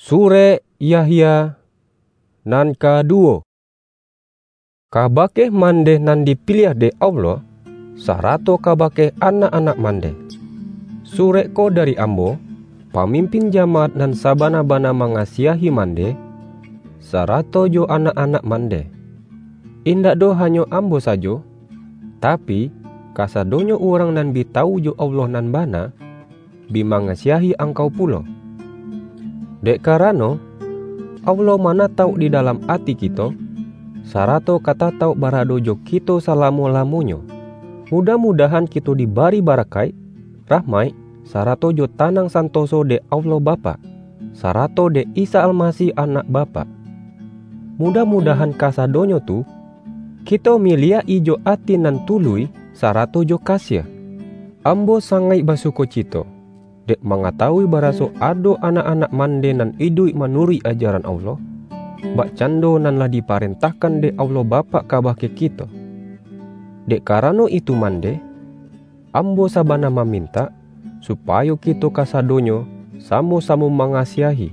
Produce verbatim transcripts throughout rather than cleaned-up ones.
Surek Yahya nan kaduwo. Kabake mandeh nan dipiliah dek Allah, sarato kabake anak-anak mandeh. Surek ko dari ambo, pamimpin jamaat nan sabana-bana mangasiahi mandeh, sarato jo anak-anak mandeh. Indak doh hanyo ambo sajo, tapi, kasadonyo urang nan bi tawu jo Allah nan bana, bi mangasiahi angkau pulo. Dek karano, Allah manatauk di dalam ati kito, sarato ka tatauk barado jo kito salamo-lamonyo. Mudah-mudahan kito dibari barakaik, rahmaik, sarato jo tanang santoso dek Allah Bapak, sarato dek Isa Almasih Anak Bapak. Mudah-mudahan kasadonyo tu, kito miliak-i jo ati nan tuluih, sarato jo kasiah. Ambo sangaik basukocito, dek mangatawui baraso ado anak-anak mandeh nan iduik manuruik ajaran Allah, bakcando nan lah diparentahkan dek Allah Bapak kabake kito. Dek karano itu mandeh, ambo sabana mamintak, supayo kito kasadonyo samo-samo mangasiahi.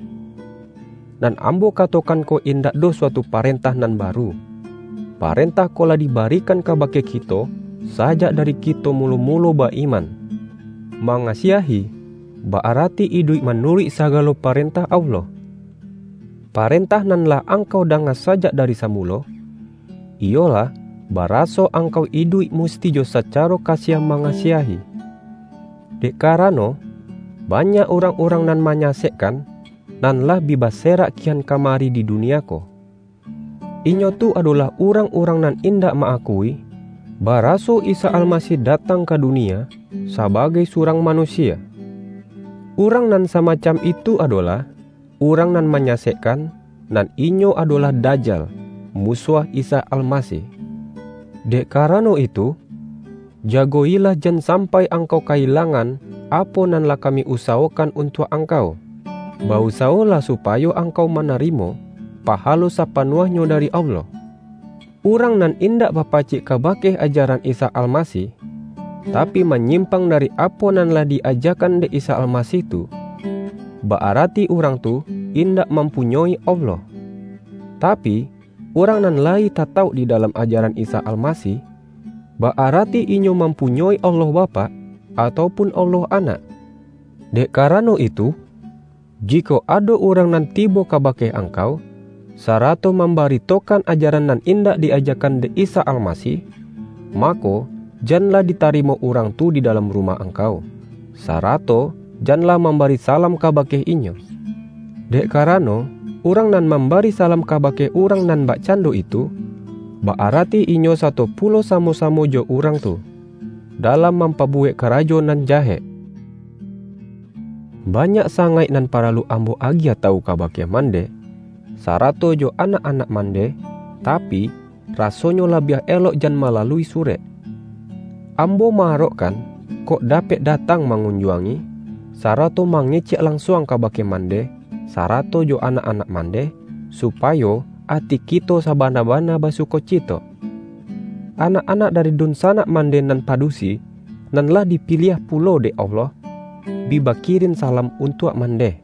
Nan ambo katokan ko indak doh suatu parentah nan baru. Parentah ko lah dibarikan kabake kito sajak dari kito mulo-mulo ba-iman. Mangasiahi, ba-arati iduik manuruik sagalo parentah Allah. Parentah nan lah angkau danga sajak dari samulo, iyolah, baraso angkau iduik musti jo sacaro kasiah mangasiahi. Dek karano, banyak urang-urang nan manyasekkan, nan lah bi baserak kian kamari di dunia ko. Inyo tu adolah urang-urang nan indak ma-akui, baraso Isa Almasih datang ka dunia sabagai surang manusia. Urang nan samacam itu adolah urang nan manyasekkan, nan inyo adolah Dajal, musuah Isa Almasih. Dek karano itu, jagoilah jan sampai angkau kailangan apo nan lah kami usawokan untuak angkau. Bausawolah supayo angkau manarimo pahalo sapanuahnyo dari Allah. Urang nan indak bapacik kabake ajaran Isa Almasih, tapi, manyimpang dari apo nan lah di-ajakan dek Isa Almasih tu, ba-arati urang tu indak mampunyoi Allah. Tapi, urang nan layi tatauk di dalam ajaran Isa Almasih, ba-arati inyo mampunyoi Allah Bapak, ataupun Allah Anak. Dek karano itu, jikok ado urang nan tibo kabake angkau, sarato mambaritokan ajaran nan indak di-ajakan dek Isa Almasih, mako, janlah ditarimo urang tu di dalam rumah angkau, sarato janlah mambari salam kabake inyo. Dek karano, urang nan mambari salam kabake urang nan bakcando itu, ba-arati inyo sato pulo samo-samo jo urang tu, dalam mampabuwek karajo nan jahek. Banyak sangaik nan paralu ambo agiah tawu kabake mandeh, sarato jo anak-anak mandeh, tapi, rasonyo labiah elok jan malalui surek. Ambo maarokkan, kok dapek datang mangunjuangi, sarato mangecek lansuang kabake mandeh, sarato jo anak-anak mandeh, supayo ati kito sabana-bana basukocito. Anak-anak dari dunsanak mandeh nan padusi, nan lah dipiliah pulo dek Allah, bi bakirin salam untuak mandeh.